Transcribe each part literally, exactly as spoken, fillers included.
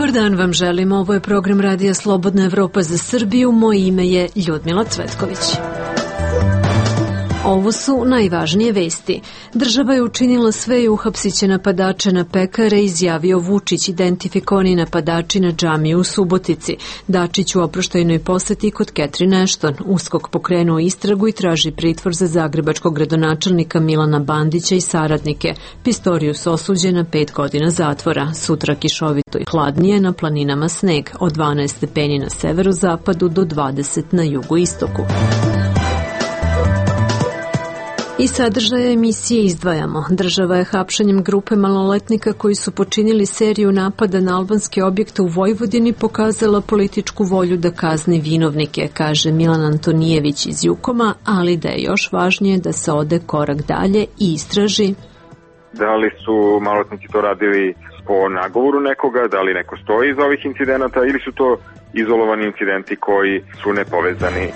Dobar dan vam želim, ovo je program Radija Slobodna Evropa za Srbiju, moje ime je Ljudmila Cvetković. Ovo su najvažnije vesti. Država je učinila sve i uhapsit će napadače na pekare, izjavio Vučić, identifikovani napadači na džamiju u Subotici. Dačić u oproštajnoj poseti kod Catherine Ashton. USKOK pokrenuo istragu i traži pritvor za zagrebačkog gradonačelnika Milana Bandića i saradnike. Pistorius osuđen na pet godina zatvora. Sutra kišovito i hladnije, na planinama sneg, od dvanaest stepeni na severozapadu do dvadeset na jugoistoku. I sadržaje emisije izdvajamo. Država je hapšanjem grupe maloletnika koji su počinili seriju napada na albanske objekte u Vojvodini pokazala političku volju da kazni vinovnike, kaže Milan Antonijević iz Jukoma, ali da je još važnije da se ode korak dalje i istraži. Da li su maloletnici to radili po nagovoru nekoga, da li neko stoji iza ovih incidenata ili su to izolovani incidenti koji su nepovezani.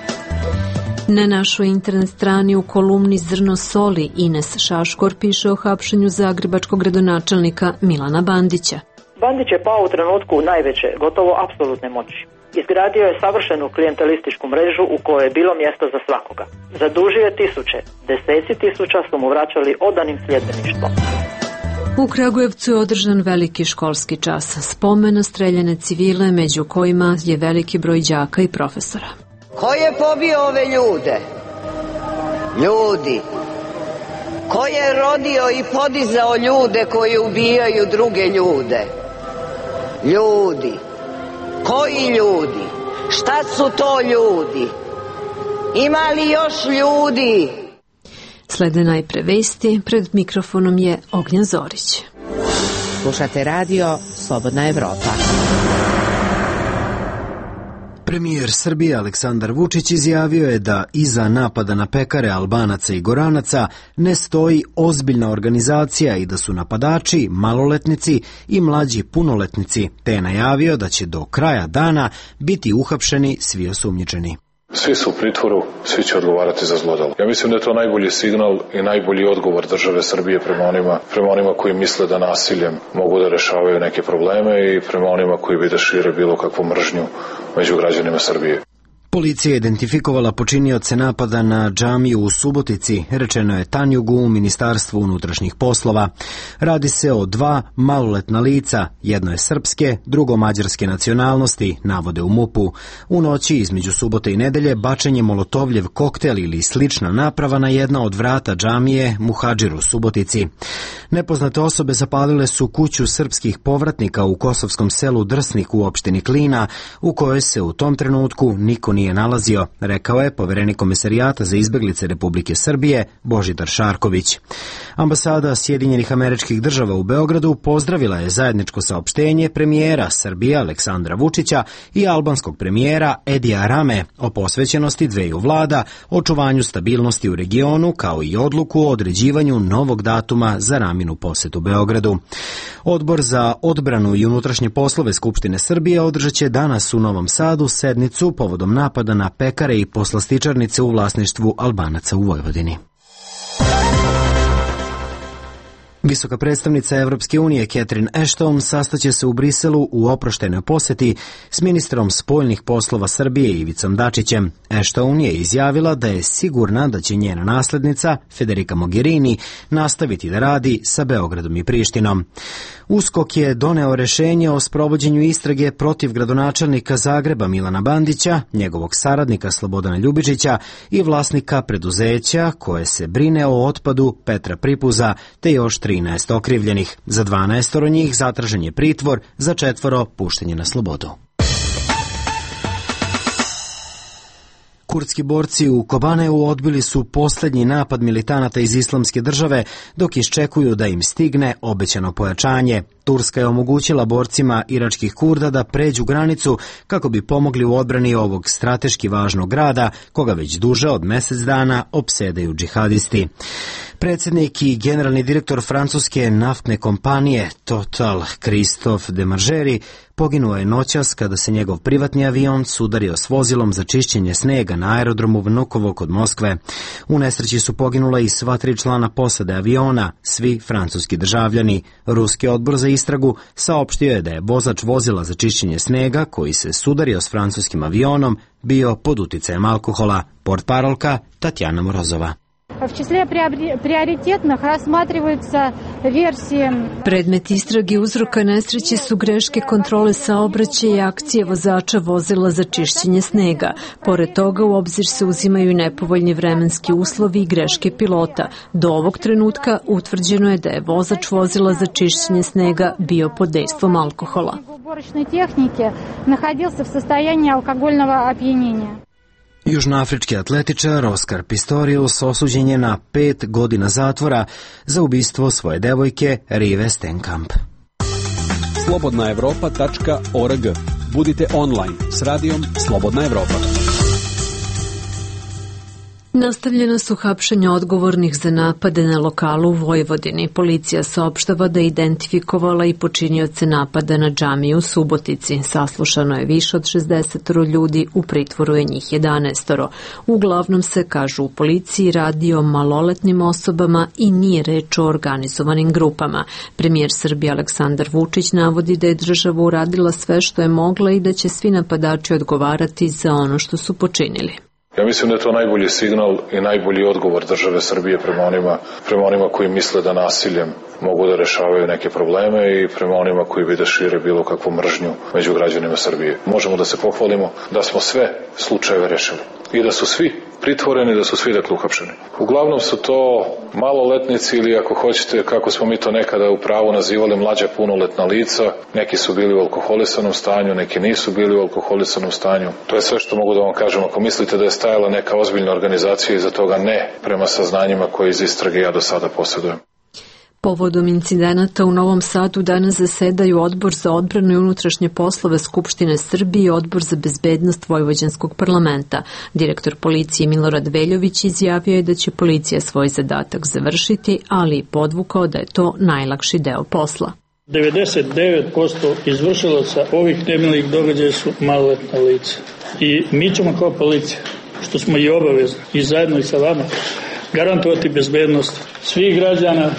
Na našoj internet strani u kolumni Zrno soli Ines Šaškor piše o hapšenju zagrebačkog gradonačelnika Milana Bandića. Bandić je pao u trenutku najveće, gotovo apsolutne moći. Izgradio je savršenu klijentelističku mrežu u kojoj je bilo mjesto za svakoga. Zadužio je tisuće, deseci tisuća su mu vraćali odanim sljedbeništvom. U Kragujevcu je održan veliki školski čas, spomen na streljane civile, među kojima je veliki broj đaka i profesora. Ko je pobio ove ljude? Ljudi. Ko je rodio i podizao ljude koji ubijaju druge ljude? Ljudi. Koji ljudi? Šta su to ljudi? Ima li još ljudi? Slede najpre vesti, pred mikrofonom je Ognjen Zorić. Slušate radio Slobodna Evropa. Premijer Srbije Aleksandar Vučić izjavio je da iza napada na pekare Albanaca i Goranaca ne stoji ozbiljna organizacija i da su napadači maloletnici i mlađi punoletnici, te je najavio da će do kraja dana biti uhapšeni svi osumnjičeni. Svi su u pritvoru, svi će odgovarati za zlodelo. Ja mislim da je to najbolji signal i najbolji odgovor države Srbije prema onima, prema onima koji misle da nasiljem mogu da rešavaju neke probleme i prema onima koji bi da šire bilo kakvu mržnju među građanima Srbije. Policija je identifikovala počinioce napada na džamiju u Subotici, rečeno je Tanjugu u Ministarstvu unutrašnjih poslova. Radi se o dva maloletna lica, jedno je srpske, drugo mađarske nacionalnosti, navode u MUP-u. U noći između subote i nedelje bačen je molotovljev koktel ili slična naprava na jedna od vrata džamije Muhadžir u Subotici. Nepoznate osobe zapalile su kuću srpskih povratnika u kosovskom selu Drsnik u opštini Klina, u kojoj se u tom trenutku niko nije nalazio, rekao je poverenik Komesarijata za izbeglice Republike Srbije Božidar Šarković. Ambasada Sjedinjenih Američkih Država u Beogradu pozdravila je zajedničko saopštenje premijera Srbije Aleksandra Vučića i albanskog premijera Edija Rame o posvećenosti dveju vlada, očuvanju stabilnosti u regionu, kao i odluku o određivanju novog datuma za Raminu posetu Beogradu. Odbor za odbranu i unutrašnje poslove Skupštine Srbije održat će danas u Novom Sadu sednicu povodom napada na pekare i poslastičarnice u vlasništvu Albanaca u Vojvodini. Visoka predstavnica Evropske unije Catherine Ashton sastaće se u Briselu u oproštajnoj poseti s ministrom spoljnih poslova Srbije Ivicom Dačićem. Ashton je izjavila da je sigurna da će njena naslednica Federica Mogherini nastaviti da radi sa Beogradom i Prištinom. USKOK je doneo rešenje o sprovođenju istrage protiv gradonačelnika Zagreba Milana Bandića, njegovog saradnika Slobodana Ljubičića i vlasnika preduzeća koje se brine o otpadu Petra Pripuza, te još trinaest okrivljenih. Za dvanaestoro njih zatražen je pritvor, za četvoro puštenje na slobodu. Kurdski borci u Kobaneu odbili su posljednji napad militanata iz Islamske države dok iščekuju da im stigne obećano pojačanje. Turska je omogućila borcima iračkih Kurda da pređu granicu kako bi pomogli u odbrani ovog strateški važnog grada, koga već duže od mjesec dana opsedaju džihadisti. Predsjednik i generalni direktor francuske naftne kompanije Total, Christophe Demargeri, poginuo je noćas kada se njegov privatni avion sudario s vozilom za čišćenje snega na aerodromu Vnukovo kod Moskve. U nesreći su poginula i sva tri člana posade aviona, svi francuski državljani. Ruski odbor za istragu, saopštio je da je vozač vozila za čišćenje snega, koji se sudario s francuskim avionom, bio pod uticajem alkohola. Portparolka Tatjana Morozova. В числе приоритетных рассматриваются версии. Predmet istrage uzroka nesreće su greške kontrole saobraćaja i akcije vozača vozila za čišćenje snega. Pored toga u obzir se uzimaju i nepovoljni vremenski uslovi i greške pilota. Do ovog trenutka utvrđeno je da je vozač vozila za čišćenje snega bio pod dejstvom alkohola. Уборочной техники находился в состоянии алкогольного опьянения. Južnoafrički atletičar Oskar Pistorius osuđen je na pet godina zatvora za ubistvo svoje devojke Rive Stenkamp. slobodna evropa tačka org. Budite online s radijom Slobodna Evropa. Nastavljena su hapšenja odgovornih za napade na lokalu u Vojvodini. Policija saopštava da je identifikovala i počinioce napada na džamiju u Subotici. Saslušano je više od šezdeset ljudi, u pritvoru je njih jedanaest. Uglavnom se, kažu u policiji, radi o maloletnim osobama i nije reč o organizovanim grupama. Premijer Srbije Aleksandar Vučić navodi da je država uradila sve što je mogla i da će svi napadači odgovarati za ono što su počinili. Ja mislim da je to najbolji signal i najbolji odgovor države Srbije prema onima, prema onima koji misle da nasiljem mogu da rešavaju neke probleme i prema onima koji bi da šire bilo kakvu mržnju među građanima Srbije. Možemo da se pohvalimo da smo sve slučajeve rešili i da su svi pritvoreni, da su svi dakle uhapšeni. Uglavnom su to maloletnici ili ako hoćete, kako smo mi to nekada u pravu nazivali, mlađa punoletna lica. Neki su bili u alkoholisanom stanju, neki nisu bili u alkoholisanom stanju. To je sve što mogu da vam kažem. Ako mislite da je stajala neka ozbiljna organizacija iza toga, ne, prema saznanjima koje iz istrage ja do sada posjedujem. Povodom incidenata u Novom Sadu danas zasedaju Odbor za odbranu i unutrašnje poslove Skupštine Srbije i Odbor za bezbednost Vojvođanskog parlamenta. Direktor policije Milorad Veljović izjavio je da će policija svoj zadatak završiti, ali i podvukao da je to najlakši deo posla. devedeset devet posto izvršilaca ovih nemilih događaja su maloletna lica. I mi ćemo kao policija, što smo i obavezni, i zajedno i sa vama, garantovati bezbednost svih građana,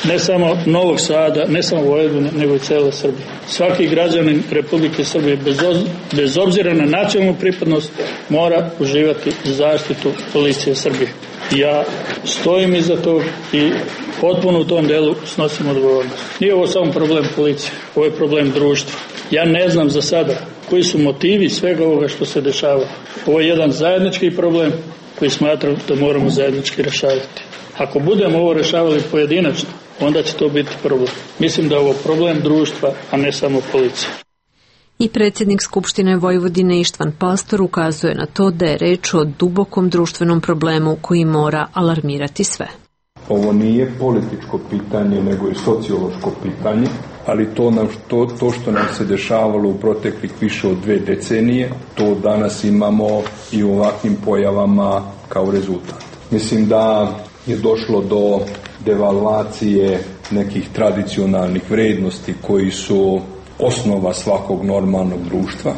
ne samo Novog Sada, ne samo Vojvodine, nego i cele Srbije. Svaki građanin Republike Srbije, bez, bez obzira na nacionalnu pripadnost, mora uživati zaštitu policije Srbije. Ja stojim iza tog i potpuno u tom delu snosim odgovornost. Nije ovo samo problem policije, ovo je problem društva. Ja ne znam za sada koji su motivi svega ovoga što se dešava. Ovo je jedan zajednički problem koji smatram da moramo zajednički rešavati. Ako budemo ovo rešavali pojedinačno, onda će to biti problem. Mislim da je ovo problem društva, a ne samo policije. I predsjednik Skupštine Vojvodine Ištvan Pastor ukazuje na to da je reč o dubokom društvenom problemu koji mora alarmirati sve. Ovo nije političko pitanje, nego je sociološko pitanje, ali to, nam, to, to što nam se dešavalo u proteklih više od dve decenije, to danas imamo i u ovakvim pojavama kao rezultat. Mislim da je došlo do devalvacije nekih tradicionalnih vrednosti koji su osnova svakog normalnog društva,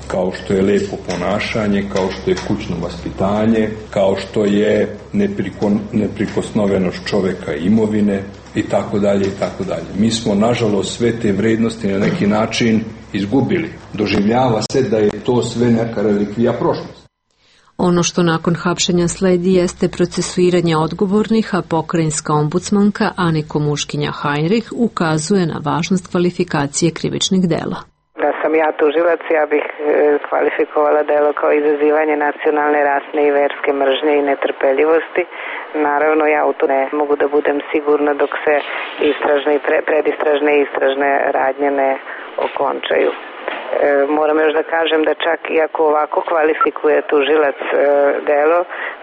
kao što je lepo ponašanje, kao što je kućno vaspitanje, kao što je nepriko, neprikosnovenost čoveka i imovine i tako dalje i tako dalje. Mi smo nažalost sve te vrednosti na neki način izgubili. Doživljava se da je to sve neka relikvija prošlosti. Ono što nakon hapšenja sledi jeste procesuiranje odgovornih, a pokrajinska ombudsmanka Aniko Muškinja Hajnrih ukazuje na važnost kvalifikacije krivičnih dela. Da sam ja tužilac, ja bih kvalifikovala delo kao izazivanje nacionalne, rasne i verske mržnje i netrpeljivosti. Naravno, ja u to ne mogu da budem sigurna dok se istražne i pre, predistražne i istražne radnje ne okončaju. E, moram još da kažem da čak i ako ovako kvalifikuje tužilac e, delo,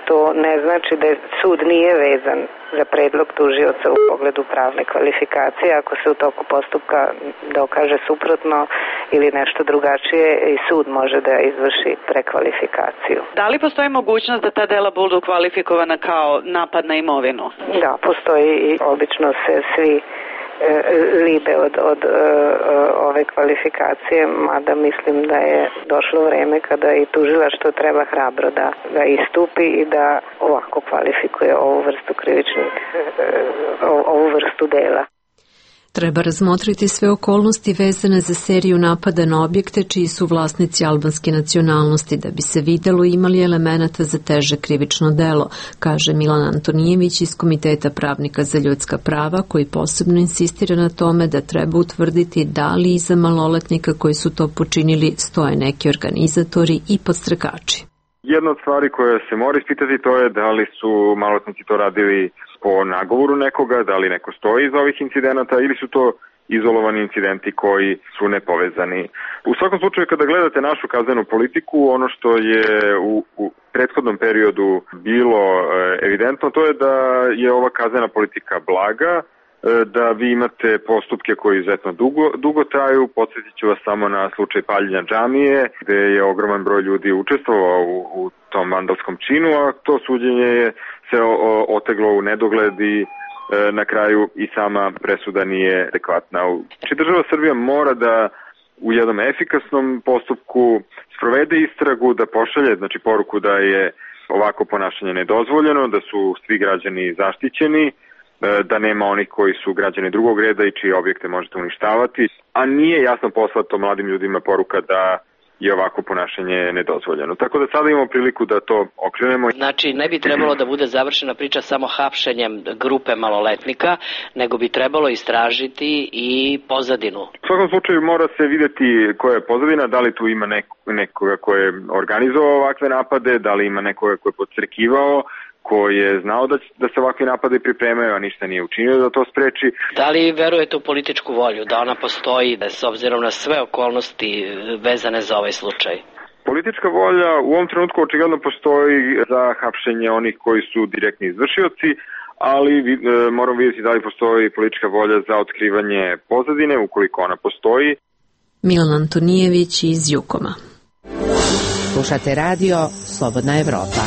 to ne znači da sud nije vezan za predlog tužioca u pogledu pravne kvalifikacije. Ako se u toku postupka dokaže suprotno ili nešto drugačije, i sud može da izvrši prekvalifikaciju. Da li postoji mogućnost da ta dela budu kvalifikovana kao napad na imovinu? Da, postoji i obično se svi libe od, od uh, ove kvalifikacije, mada mislim da je došlo vreme kada i tužilaštvo treba hrabro da, da istupi i da ovako kvalifikuje ovu vrstu krivičnih, uh, ovu vrstu dela. Treba razmotriti sve okolnosti vezane za seriju napada na objekte čiji su vlasnici albanske nacionalnosti da bi se videlo imali elemenata za teže krivično delo, kaže Milan Antonijević iz Komiteta pravnika za ljudska prava, koji posebno insistira na tome da treba utvrditi da li iza maloletnika koji su to počinili stoje neki organizatori i podstrekači. Jedna od stvari koja se mora ispitati to je da li su maloletnici to radili po nagovoru nekoga, da li neko stoji iz ovih incidenata ili su to izolovani incidenti koji su nepovezani. U svakom slučaju, kada gledate našu kaznenu politiku, ono što je u, u prethodnom periodu bilo evidentno, to je da je ova kaznena politika blaga, da vi imate postupke koji izuzetno dugo, dugo traju. Podsjetit ću vas samo na slučaj paljenja džamije, gde je ogroman broj ljudi učestvovao u, u tom vandalskom činu, a to suđenje je se oteglo u nedogled i e, na kraju i sama presuda nije adekvatna. Znači, država Srbija mora da u jednom efikasnom postupku sprovede istragu, da pošalje znači, poruku da je ovako ponašanje nedozvoljeno, da su svi građani zaštićeni, da nema onih koji su građani drugog reda i čije objekte možete uništavati, a nije jasno poslato mladim ljudima poruka da je ovako ponašanje nedozvoljeno. Tako da sada imamo priliku da to okrenemo. Znači, ne bi trebalo da bude završena priča samo hapšenjem grupe maloletnika, nego bi trebalo istražiti i pozadinu. U svakom slučaju mora se videti koja je pozadina, da li tu ima neko, nekoga ko je organizovao ovakve napade, da li ima nekoga ko je podstrekivao, koji je znao da, da se ovakvi napade pripremaju, a ništa nije učinio da to spreči. Da li verujete u političku volju, da ona postoji, da s obzirom na sve okolnosti vezane za ovaj slučaj? Politička volja u ovom trenutku očigledno postoji za hapšenje onih koji su direktni izvršioci, ali e, moramo vidjeti da li postoji politička volja za otkrivanje pozadine, ukoliko ona postoji. Milan Antonijević iz Jukoma. Slušate radio Slobodna Evropa.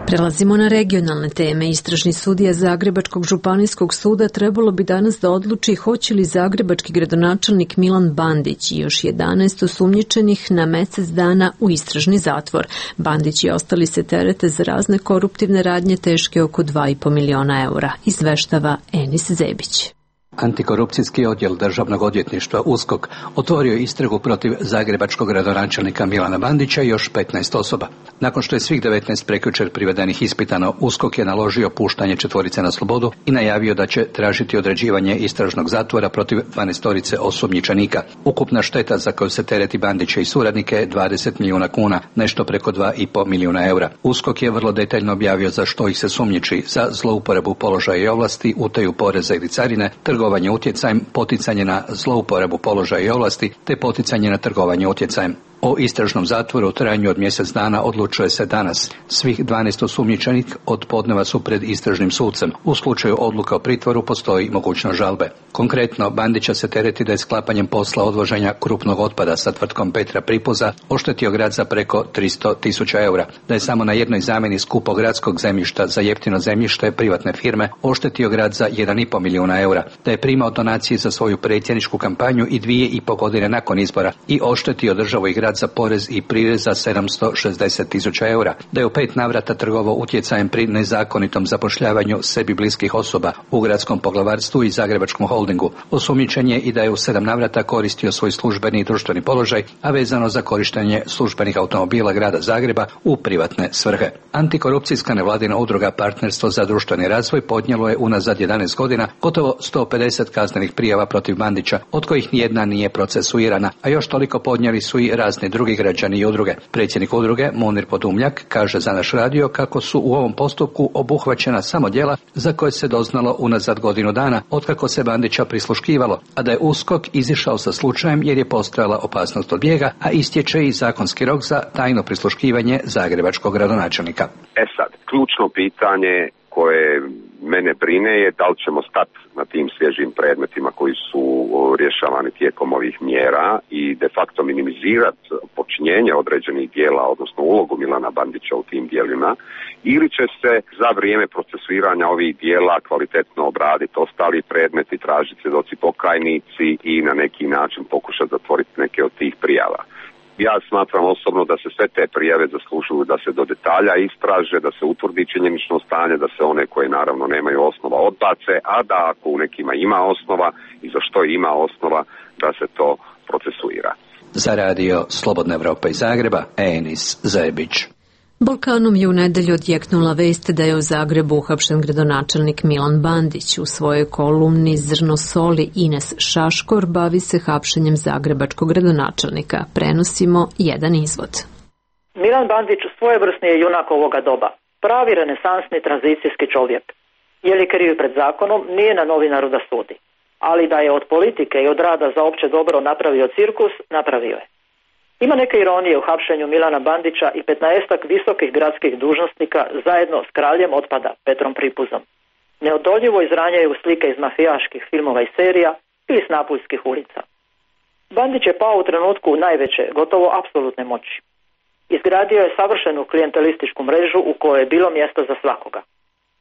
Prelazimo na regionalne teme. Istražni sudija Zagrebačkog županijskog suda trebalo bi danas da odluči hoće li zagrebački gradonačelnik Milan Bandić i još jedanaest osumnjičenih na mesec dana u istražni zatvor. Bandić i ostali se terete za razne koruptivne radnje teške oko dva i po miliona eura, izveštava Enis Zebić. Antikorupcijski odjel Državnog odvjetništva USKOK otvorio istragu protiv zagrebačkog gradonačelnika Milana Bandića i još petnaest osoba. Nakon što je svih devetnaest prekjučer privedenih ispitano, USKOK je naložio puštanje četvorice na slobodu i najavio da će tražiti određivanje istražnog zatvora protiv dvanaestorice osumnjičenika. Ukupna šteta za koju se tereti Bandića i suradnike je dvadeset milijuna kuna, nešto preko dva i po milijuna eura. USKOK je vrlo detaljno objavio za što ih se sumnjiči: za zlouporabu položaja i ovlasti, utaju poreza ili carine, trgovanje utjecajem, poticanje na zlouporabu položaja i ovlasti te poticanje na trgovanje utjecajem. O istražnom zatvoru u trajanju od mjesec dana odlučuje se danas. Svih dvanaest osumnjičenih od podneva su pred istražnim sucem. U slučaju odluka o pritvoru postoji mogućnost žalbe. Konkretno, Bandića se tereti da je sklapanjem posla odvoženja krupnog otpada sa tvrtkom Petra Pripuza oštetio grad za preko tristo tisuća eura, da je samo na jednoj zamjeni skupog gradskog zemljišta za jeftino zemljište privatne firme oštetio grad za jedan i po milijuna eura, da je primao donacije za svoju predsjedničku kampanju i dvije i po godine nakon izbora i oštetio državu i grad za porez i prirez za sedamsto šezdeset tisuća eura, da je u pet navrata trgovao utjecajem pri nezakonitom zapošljavanju sebi bliskih osoba u gradskom poglavarstvu i zagrebačkom holdingu. Osumnjičen je i da je u sedam navrata koristio svoj službeni i društveni položaj, a vezano za korištenje službenih automobila grada Zagreba u privatne svrhe. Antikorupcijska nevladina udruga Partnerstvo za društveni razvoj podnijelo je unazad jedanaest godina gotovo sto pedeset kaznenih prijava protiv Bandića, od kojih nijedna nije procesuirana, a još toliko podnijeli su i razni drugi građani i udruge. Predsjednik udruge Munir Podumljak kaže za naš radio kako su u ovom postupku obuhvaćena samo djela za koje se doznalo unazad godinu dana otkako se Bandića prisluškivalo, a da je USKOK izišao sa slučajem jer je postojala opasnost od bijega, a istječe i zakonski rok za tajno prisluškivanje zagrebačkog gradonačelnika. E sad, ključno pitanje koje mene brine je da li ćemo stati na tim svježim predmetima koji su rješavani tijekom ovih mjera i de facto minimizirati počinjenje određenih dijela, odnosno ulogu Milana Bandića u tim dijelima, ili će se za vrijeme procesuiranja ovih dijela kvalitetno obraditi ostali predmeti, tražiti svjedoci pokajnici i na neki način pokušati zatvoriti neke od tih prijava. Jasno smatram osobno da se sve te prijave zaslužuju da se do detalja istraže, da se utvrdi činjenično stanje, da se one koje naravno nemaju osnova odbace, a da ako u nekima ima osnova i za što ima osnova, da se to procesuira. Za radio Slobodna Evropa iz Zagreba, Enis Zebić. Balkanom je u nedelju odjeknula vest da je u Zagrebu uhapšen gradonačelnik Milan Bandić. U svojoj kolumni Zrno soli Ines Šaškor bavi se hapšenjem zagrebačkog gradonačelnika. Prenosimo jedan izvod. Milan Bandić svojevrsni je junak ovoga doba. Pravi renesansni tranzicijski čovjek. Je li kriv pred zakonom, nije na novinaru da sudi. Ali da je od politike i od rada za opće dobro napravio cirkus, napravio je. Ima neke ironije u hapšenju Milana Bandića i petnaestak visokih gradskih dužnosnika zajedno s kraljem otpada Petrom Pripuzom. Neodoljivo izranjaju slike iz mafijaških filmova i serija ili s napuljskih ulica. Bandić je pao u trenutku najveće, gotovo apsolutne moći. Izgradio je savršenu klijentelističku mrežu u kojoj je bilo mjesta za svakoga.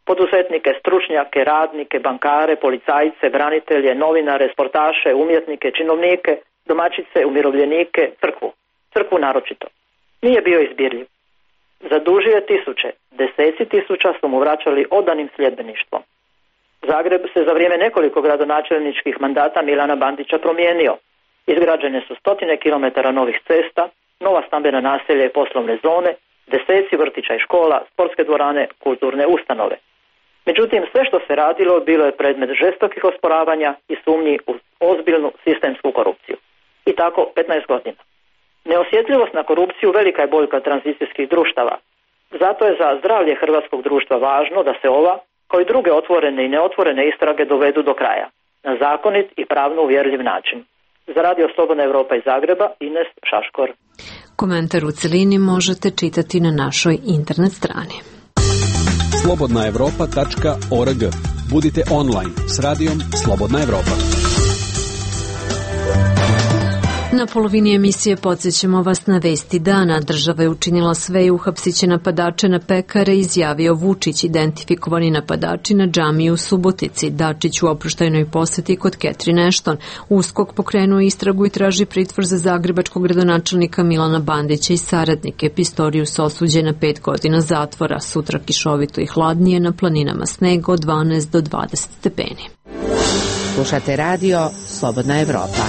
Poduzetnike, stručnjake, radnike, bankare, policajce, branitelje, novinare, sportaše, umjetnike, činovnike, domaćice, umirovljenike, crkvu. Crkvu naročito. Nije bio izbirljiv. Zadužio je tisuće, deseci tisuća su mu vraćali odanim sljedbeništvom. Zagreb se za vrijeme nekoliko gradonačelničkih mandata Milana Bandića promijenio. Izgrađene su stotine kilometara novih cesta, nova stambena naselja i poslovne zone, deseci vrtića i škola, sportske dvorane, kulturne ustanove. Međutim, sve što se radilo bilo je predmet žestokih osporavanja i sumnji u ozbiljnu sistemsku korupciju. I tako petnaest godina. Neosjetljivost na korupciju velika je boljka tranzicijskih društava. Zato je za zdravlje hrvatskog društva važno da se ova, kao i druge otvorene i neotvorene istrage dovedu do kraja, na zakonit i pravno uvjerljiv način. Za radio Slobodna Evropa iz Zagreba, Ines Šaškor. Komentar u celini možete čitati na našoj internet strani. slobodna evropa tačka org. Budite online s radijom Slobodna Evropa. Na polovini emisije podsjećamo vas na vesti dana. Država je učinila sve i uhapsiće napadače na pekare, izjavio Vučić. Identifikovani napadači na džamiji u Subotici. Dačić u oproštajnoj poseti kod Catherine Ashton. USKOK pokrenuo istragu i traži pritvor za zagrebačkog gradonačelnika Milana Bandića i saradnike. Pistorius osuđen na pet godina zatvora. Sutra kišovito i hladnije, na planinama sneg od dvanaest do dvadeset stepeni. Slušate radio Slobodna Evropa.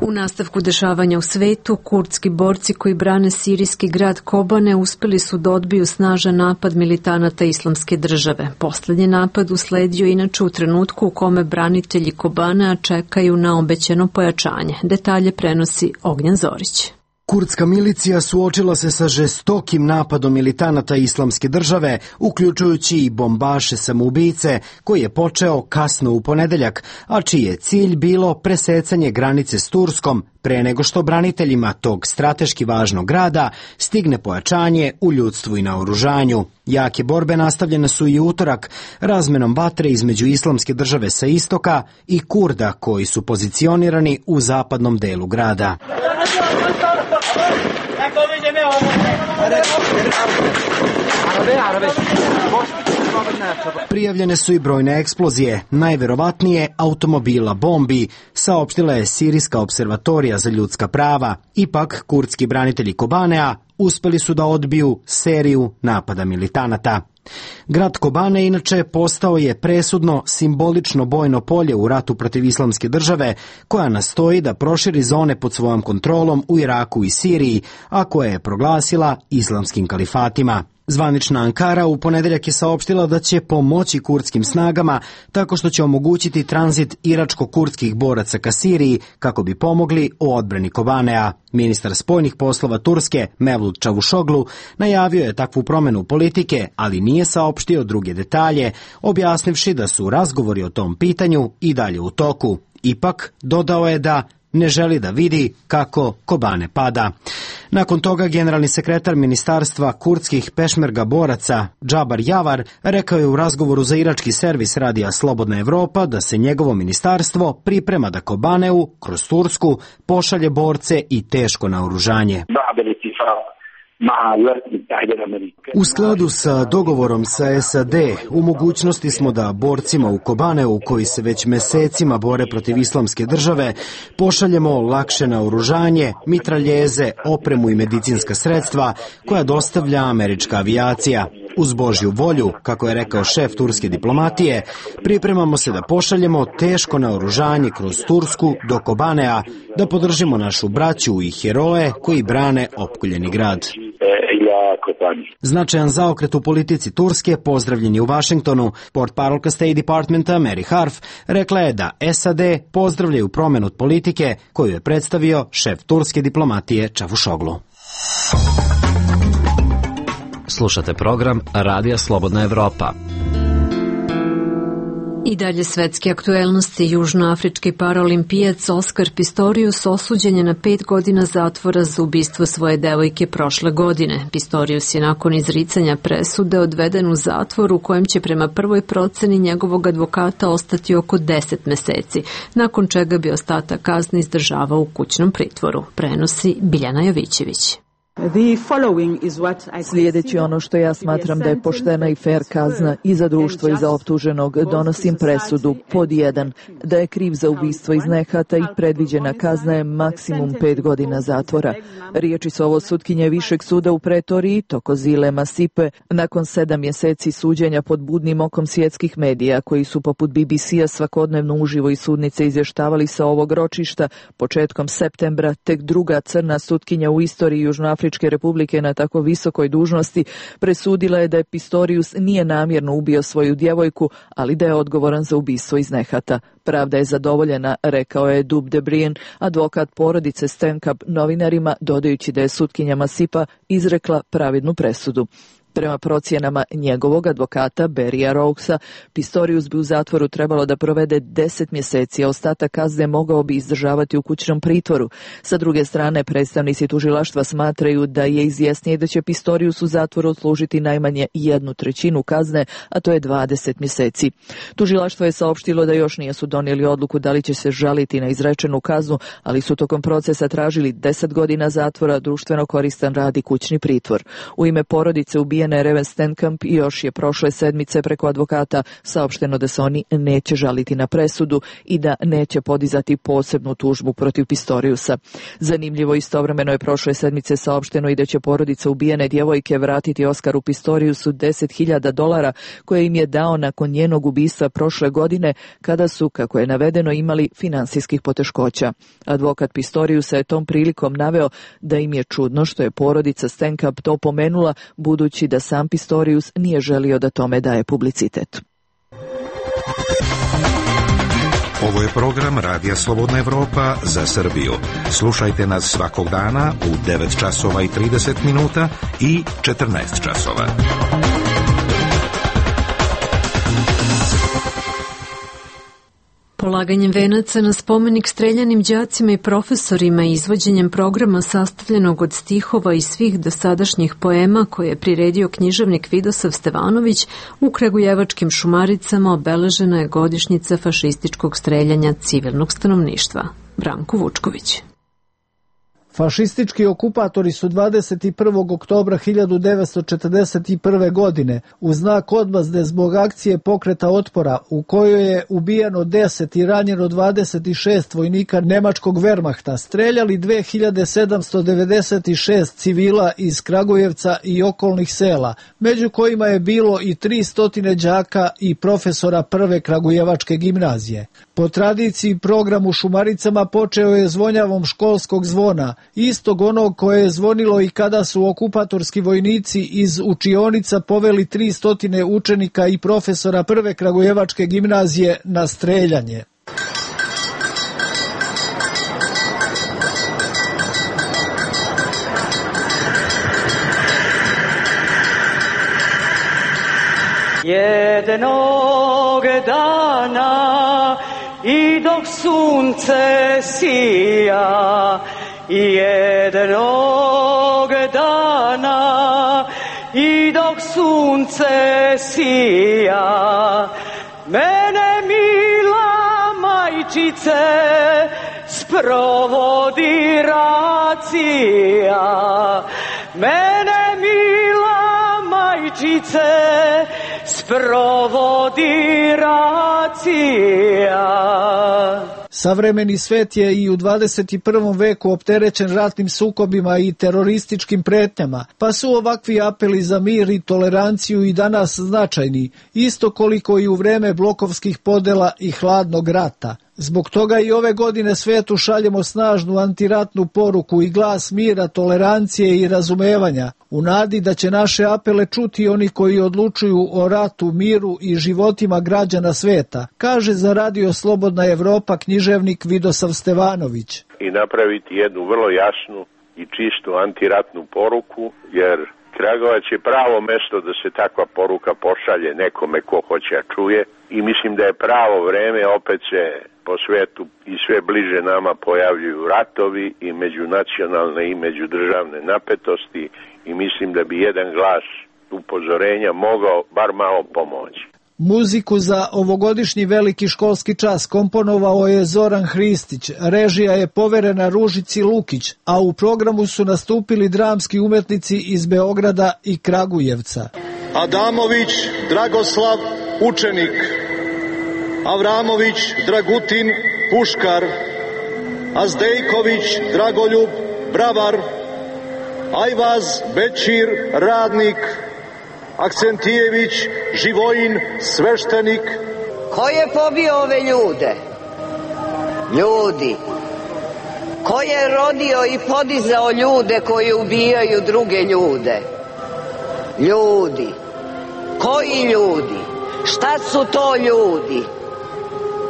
U nastavku dešavanja u svetu, kurdski borci koji brane sirijski grad Kobane uspeli su da odbiju snažan napad militanata Islamske države. Poslednji napad usledio inače u trenutku u kome branitelji Kobanea čekaju na obećano pojačanje. Detalje prenosi Ognjen Zorić. Kurdska milicija suočila se sa žestokim napadom militanata Islamske države, uključujući i bombaše samoubice, koji je počeo kasno u ponedeljak, a čiji je cilj bilo presecanje granice s Turskom pre nego što braniteljima tog strateški važnog grada stigne pojačanje u ljudstvu i naoružanju. Jake borbe nastavljene su i utorak razmenom vatre između Islamske države sa istoka i Kurda koji su pozicionirani u zapadnom delu grada. Prijavljene su i brojne eksplozije, najverovatnije automobila bombi, saopštila je Sirijska observatorija za ljudska prava. Ipak, kurdski branitelji Kobanea uspeli su da odbiju seriju napada militanata. Grad Kobane inače postao je presudno simbolično bojno polje u ratu protiv Islamske države, koja nastoji da proširi zone pod svojom kontrolom u Iraku i Siriji, a koje je proglasila islamskim kalifatima. Zvanična Ankara u ponedeljak je saopštila da će pomoći kurdskim snagama tako što će omogućiti tranzit iračko-kurdskih boraca ka Siriji kako bi pomogli u odbrani Kobanea. Ministar spoljnih poslova Turske Mevlut Čavušoglu najavio je takvu promenu politike, ali nije saopštio druge detalje, objasnivši da su razgovori o tom pitanju i dalje u toku. Ipak, dodao je da ne želi da vidi kako Kobane pada. Nakon toga generalni sekretar ministarstva kurdskih pešmerga boraca Džabar Javar rekao je u razgovoru za irački servis radija Slobodna Evropa da se njegovo ministarstvo priprema da Kobaneu kroz Tursku pošalje borce i teško naoružanje. U skladu sa dogovorom sa S A D, u mogućnosti smo da borcima u Kobaneu, koji se već mesecima bore protiv islamske države, pošaljemo lakše naoružanje, mitraljeze, opremu i medicinska sredstva koja dostavlja američka avijacija. Uz Božju volju, kako je rekao šef turske diplomatije, pripremamo se da pošaljemo teško naoružanje kroz Tursku do Kobanea, da podržimo našu braću i heroje koji brane opkoljeni grad. Značajan zaokret u politici Turske pozdravljen je u Vašingtonu. Portparolka State Departmenta Mary Harf rekla je da S A D pozdravljaju promenu politike koju je predstavio šef turske diplomatije Čavušoglu. Slušate program Radija Slobodna Evropa. I dalje svetske aktuelnosti. Južnoafrički paraolimpijac Oskar Pistorius osuđen je na pet godina zatvora za ubistvo svoje devojke prošle godine. Pistorius je nakon izricanja presude odveden u zatvor u kojem će prema prvoj proceni njegovog advokata ostati oko deset meseci, nakon čega bi ostatak kazne izdržavao u kućnom pritvoru. Prenosi Biljana Jovićević. Slijedeći ono što ja smatram da je poštena i fair kazna i za društvo i za optuženog, donosim presudu pod jedan, da je kriv za ubistvo iz nehata i predviđena kazna je maksimum pet godina zatvora. Riječi su ovo sutkinje Višeg suda u Pretoriji, Tokozile Masipe, nakon sedam mjeseci suđenja pod budnim okom svjetskih medija, koji su poput B B C-a svakodnevno uživo iz sudnice izvještavali sa ovog ročišta. Početkom septembra tek druga crna sutkinja u istoriji Južnoafričke Republike na tako visokoj dužnosti presudila je da je Pistorius nije namjerno ubio svoju djevojku, ali da je odgovoran za ubistvo iz nehata. Pravda je zadovoljena, rekao je Dub de Brien, advokat porodice Stenkamp novinarima, dodajući da je sutkinja Masipa izrekla pravednu presudu. Prema procjenama njegovog advokata Berija Rouksa, Pistorius bi u zatvoru trebalo da provede deset mjeseci, a ostatak kazne mogao bi izdržavati u kućnom pritvoru. Sa druge strane, predstavnici tužilaštva smatraju da je izvjesnije da će Pistorius u zatvoru odslužiti najmanje jednu trećinu kazne, a to je dvadeset mjeseci. Tužilaštvo je saopštilo da još nisu donijeli odluku da li će se žaliti na izrečenu kaznu, ali su tokom procesa tražili deset godina zatvora, društveno koristan rad i kućni pritvor. U ime porodice ubijene Reven Stenkamp još je prošle sedmice preko advokata saopšteno da se oni neće žaliti na presudu i da neće podizati posebnu tužbu protiv Pistoriusa. Zanimljivo, istovremeno je prošle sedmice saopšteno i da će porodica ubijene djevojke vratiti Oskaru Pistoriusu deset hiljada dolara koje im je dao nakon njenog ubistva prošle godine, kada su, kako je navedeno, imali finansijskih poteškoća. Advokat Pistoriusa je tom prilikom naveo da im je čudno što je porodica Stenkamp to pomenula, budući da sam Pistorius nije želio da tome daje publicitet. Ovo je program Radija Slobodna Evropa za Srbiju. Slušajte nas svakog dana u devet časova i trideset minuta i četrnaest časova. Polaganjem venaca na spomenik streljanim đacima i profesorima i izvođenjem programa sastavljenog od stihova i svih dosadašnjih poema koje je priredio književnik Vidosav Stevanović, u Kragujevačkim Šumaricama obeležena je godišnjica fašističkog streljanja civilnog stanovništva. Branko Vučković. Fašistički okupatori su dvadeset prvog oktobra hiljadu devetsto četrdeset prve. godine u znak odmazde zbog akcije pokreta otpora u kojoj je ubijeno deset i ranjeno dvadeset šest vojnika nemačkog Wehrmachta streljali dve hiljade sedamsto devedeset šest civila iz Kragujevca i okolnih sela, među kojima je bilo i tristo đaka i profesora prve Kragujevačke gimnazije. Po tradiciji program u Šumaricama počeo je zvonjavom školskog zvona, istog onog koje je zvonilo i kada su okupatorski vojnici iz učionica poveli tristo učenika i profesora prve Kragujevačke gimnazije na streljanje. Jednog dana i dok sunce sija, jednog dana i dok sunce sija, mene mila majčice sprovodi racija, mene mila majčice sprovodi racija. Savremeni svet je i u dvadeset prvom veku opterećen ratnim sukobima i terorističkim pretnjama, pa su ovakvi apeli za mir i toleranciju i danas značajni, isto koliko i u vreme blokovskih podela i hladnog rata. Zbog toga i ove godine svetu šaljemo snažnu antiratnu poruku i glas mira, tolerancije i razumevanja, u nadi da će naše apele čuti oni koji odlučuju o ratu, miru i životima građana sveta, kaže za Radio Slobodna Evropa književnik Vidosav Stevanović. I napraviti jednu vrlo jasnu i čistu antiratnu poruku, jer Kragujevac je pravo mesto da se takva poruka pošalje nekome ko hoće a čuje i mislim da je pravo vreme, opet se po svetu i sve bliže nama pojavljuju ratovi i međunacionalne i međudržavne napetosti i mislim da bi jedan glas upozorenja mogao bar malo pomoći. Muziku za ovogodišnji veliki školski čas komponovao je Zoran Hristić, režija je poverena Ružici Lukić, a u programu su nastupili dramski umetnici iz Beograda i Kragujevca. Adamović Dragoslav, učenik. Avramović Dragutin, puškar. Azdejković Dragoljub, bravar. Ajvaz Bećir, radnik. Akcentijević Živojin, sveštenik. Ko je pobio ove ljude? Ljudi. Ko je rodio i podizao ljude koji ubijaju druge ljude? Ljudi. Koji ljudi? Šta su to ljudi?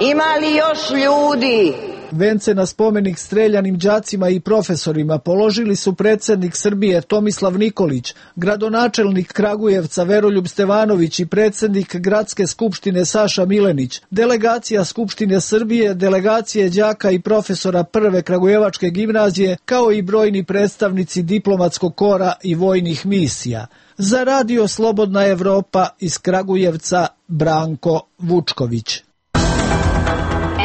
Ima li još ljudi? Vence na spomenik streljanim đacima i profesorima položili su predsjednik Srbije Tomislav Nikolić, gradonačelnik Kragujevca Veroljub Stevanović i predsjednik Gradske skupštine Saša Milenić, delegacija Skupštine Srbije, delegacije đaka i profesora Prve Kragujevačke gimnazije, kao i brojni predstavnici diplomatskog kora i vojnih misija. Za Radio Slobodna Evropa iz Kragujevca Branko Vučković.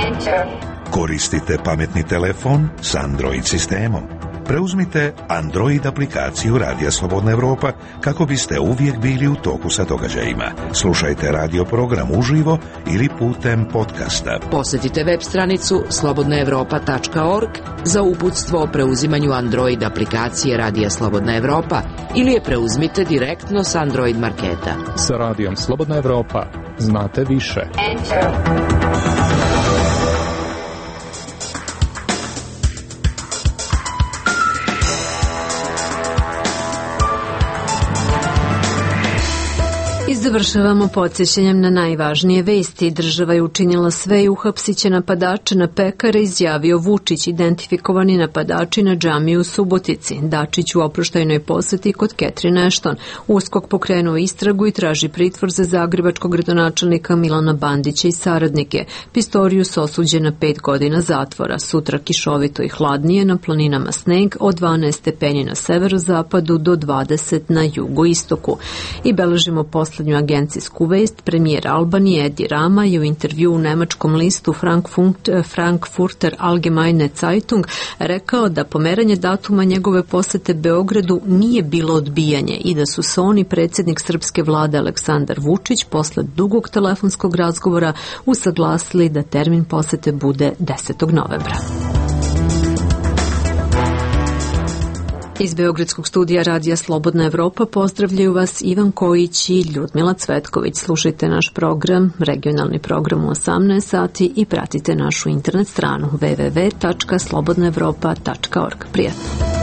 Enter. Koristite pametni telefon s Android sistemom. Preuzmite Android aplikaciju Radija Slobodna Evropa kako biste uvijek bili u toku sa događajima. Slušajte radio program uživo ili putem podcasta. Posjetite web stranicu slobodna evropa tačka org za uputstvo o preuzimanju Android aplikacije Radija Slobodna Evropa ili je preuzmite direktno s Android marketa. Sa Radijom Slobodna Evropa znate više. Enter. I završavamo podsjećanjem na najvažnije vesti. Država je učinila sve i uhapsit će napadače na pekare, izjavio Vučić. Identifikovani napadači na džamiju u Subotici. Dačić u oproštajnoj poseti kod Catherine Ashton. USKOK pokrenuo istragu i traži pritvor za zagrebačkog gradonačelnika Milana Bandića i saradnike. Pistorius osuđen na pet godina zatvora. Sutra kišovito i hladnije, na planinama sneg, od dvanaest stepeni na severozapadu do dvadeset na jugoistoku. I beležimo poslednju agencijsku vest. Premijer Albanije Edi Rama je u intervju u nemačkom listu Frankfurter Allgemeine Zeitung rekao da pomeranje datuma njegove posete Beogradu nije bilo odbijanje i da su se on i predsjednik srpske vlade Aleksandar Vučić posle dugog telefonskog razgovora usaglasili da termin posete bude desetog novembra. Iz Beogradskog studija Radija Slobodna Evropa pozdravljaju vas Ivan Kojić i Ljudmila Cvetković. Slušajte naš program, regionalni program u osamnaest sati i pratite našu internet stranu w w w tačka slobodna evropa tačka org. Prijatno!